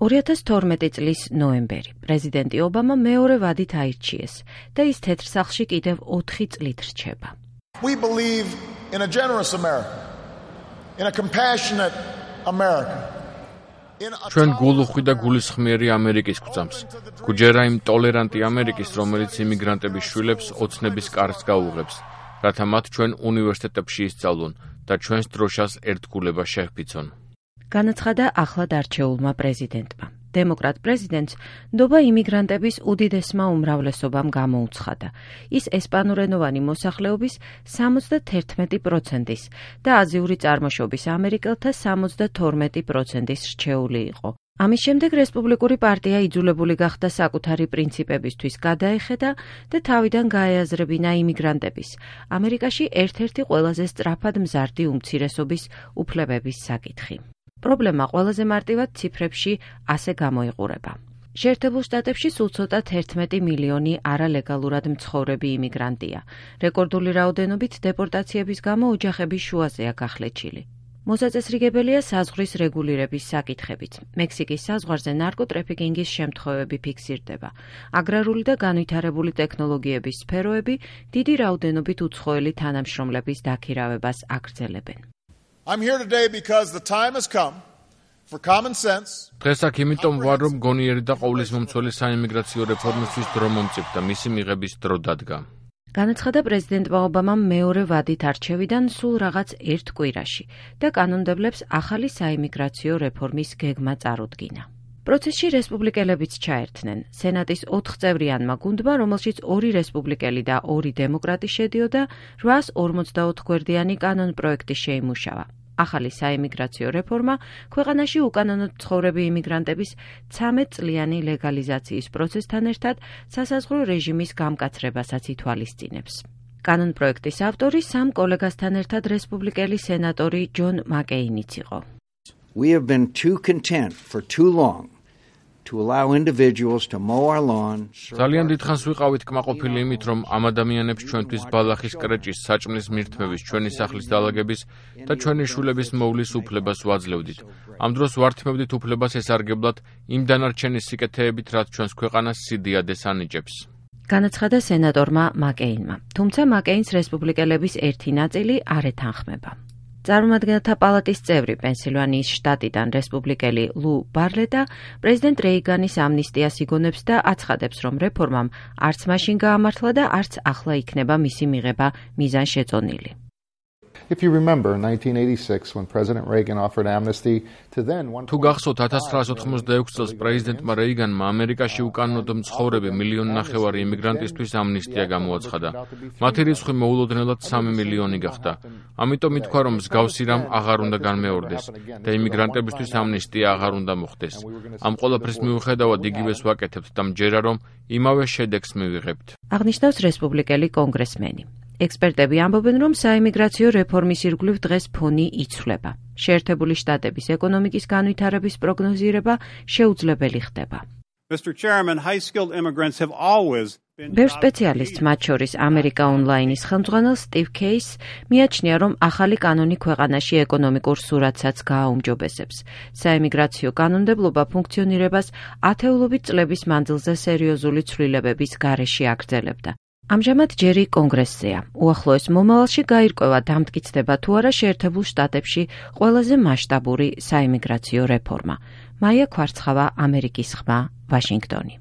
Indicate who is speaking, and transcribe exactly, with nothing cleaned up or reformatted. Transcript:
Speaker 1: ორი ათას თორმეტი წლის ნოემბერი. პრეზიდენტი ობამა მეორე ვადით აირჩიეს და ის თეთრ სახლში კიდევ ოთხი წლით რჩება.
Speaker 2: We believe in a generous America, in a compassionate America.
Speaker 3: ჩვენ გულუხვი და გულისხმიერი ამერიკის გვწამს. გვჯერა იმ ტოლერანტი ამერიკის, რომელიც იმიგრანტების შვილებს ოცნების კარს გაუღებს, რათა მათ ჩვენ უნივერსიტეტებში ისწავლონ და ჩვენს დროშას ერთგულება შეჰფიცონ.
Speaker 1: განაცხადა ახლად არჩეულმა პრეზიდენტმა. დემოკრატ პრეზიდენტს ნდობა იმიგრანტების უდიდესმა უმრავლესობამ გამოუცხადა. ის ესპანურენოვანი მოსახლეობის სამოცდათერთმეტი პროცენტის და აზიური წარმოშობის ამერიკელთა სამოცდათორმეტი პროცენტის რჩეული იყო. ამის შემდეგ რესპუბლიკური პარტია იძულებული გახდა საკუთარი პრინციპებისთვის გადაეხედა და თავიდან გაეაზრებინა იმიგრანტების, ამერიკაში ერთ-ერთი ყველაზე სწრაფად მზარდი უმცირესობის უფლებების საკითხი. პრობლემა ყველაზე მარტივად ციფრებში ასე გამოიყურება. შეერთებულ შტატებში სულ ცოტა თერთმეტი მილიონი არალეგალურად მცხოვრები იმიგრანტია. რეკორდული რაოდენობით დეპორტაციების გამო ოჯახების შუაზეა გახლეჩილი. მოსაწესრიგებელია საზღვრის რეგულირების საკითხებით. მექსიკის საზღვარზე ნარკოტრეფიკინგის შემთხვევები ფიქსირდება. აგრარული და განვითარებული ტექნოლოგიების სფეროები დიდი რაოდენობით უცხოელი თანამშრომლების დაქირავებას აგრძელებენ.
Speaker 2: I'm here today because the time has come for common sense.
Speaker 3: დღეს აქ იმიტომ ვარ, რომ გონიერი და ყოვლისმომცველი საიმიგრაციო რეფორმისთვის დრო მომწიფ და მისი მიღების დრო დადგა.
Speaker 1: განაცხადა პრეზიდენტმა ობამამ მეორე ვადით არჩევიდან სულ რაღაც ერთ კვირაში და კანონმდებლებს ახალი საიმიგრაციო რეფორმის გეგმა წარუდგინა. პროცესში რესპუბლიკელებიც ჩაერთნენ. სენატის ოთხწევრიანმა გუნდმა, რომელშიც ორი რესპუბლიკელი და ორი დემოკრატი შედიოდა, რვაას ორმოცდაოთხ გვერდიანი კანონპროექტი შეიმუშავა. ახალი საიმიგრაციო რეფორმა ქვეყანაში უკანონოდ მცხოვრები იმიგრანტების ცამეტ წლიანი ლეგალიზაციის პროცესთან ერთად სასაზღვრო რეჟიმის გამკაცრებასაც ითვალისწინებს. კანონპროექტის ავტორი სამ კოლეგასთან ერთად რესპუბლიკელი სენატორი ჯონ მაკეინიც იყო.
Speaker 4: We have been too content for too long to allow individuals to mow our lawn.
Speaker 3: ძალიან დიდხანს ვიყავით კმაყოფილი იმით, რომ ამ ადამიანებს ჩვენთვის ბალახის კრეჭის, საჭმლის მირთმევის, ჩვენი სახლის დალაგების და ჩვენი შვილების მოვლის უფლებას ვაძლევდით. ამ დროს ვართმევდით უფლებას ესარგებლად იმ დანარჩენი სიკეთეებით, რაც ჩვენს ქვეყანას სიდიადეს ანიჭებს.
Speaker 1: განაცხადა სენატორმა მაკეინმა. თუმცა მაკეინს რესპუბლიკელების ერთი ნაწილი არ ეთანხმება. წარმომადგენელთა პალატის წევრი პენსილვანიის შტატიდან რესპუბლიკელი ლუ ბარლეტა პრეზიდენტ რეიგანის ამნისტიას იგონებს და აცხადებს, რომ რეფორმამ არც მაშინ გაამართლა და არც ახლა იქნება მისი მიღება მიზანშეწონილი.
Speaker 5: If you remember in nineteen eighty-six when President Reagan offered amnesty to then
Speaker 3: თუ გახსოვთ ათას ცხრაას ოთხმოცდაექვსი წელს პრეზიდენტმა რეიგანმა ამერიკაში უკანონოდ მცხოვრები მილიონი ნახევარი იმიგრანტისთვის ამნისტია გამოაცხადა. მათი რიცხვი მოულოდნელად სამი მილიონი გახდა. ამიტომ ითქვა, რომ მსგავსი რამ აღარ უნდა განმეორდეს და იმიგრანტებისთვის ამნისტია აღარ უნდა მოხდეს. ამ ყველაფრის მიუხედავად იგივეს ვაკეთებთ და მჯერა, რომ იმავე შედეგს მივიღებთ.
Speaker 1: აღნიშნავს რესპუბლიკელი კონგრესმენი. ექსპერტები ამბობენ, რომ საიმიგრაციო რეფორმის ირგვლივ დღეს ფონი იცვლება. შეერთებული შტატების ეკონომიკის განვითარების პროგნოზირება შეუძლებელი ხდება.
Speaker 6: Mister Chairman, high-skilled immigrants have always
Speaker 1: ბევრ სპეციალისტს, მათ შორის ამერიკა ონლაინის ხელმძღვანელ სტივ კეისს, მიაჩნია, რომ ახალი კანონი ქვეყანაში ეკონომიკურ სურათსაც გააუმჯობესებს. საიმიგრაციო კანონმდებლობა ფუნქციონირებას ათეულობით წლების მანძილზე სერიოზული ცვლილებების გარეშე აგრძელებდა. ამჟამად ჯერი კონგრესზეა. უახლოეს მომავალში გაირკვევა დამტკიცდება თუ არა შეერთებულ შტატებში ყველაზე მასშტაბური საიმიგრაციო რეფორმა. მაია ქვარცხავა, ამერიკის ხმა, ვაშინგტონი.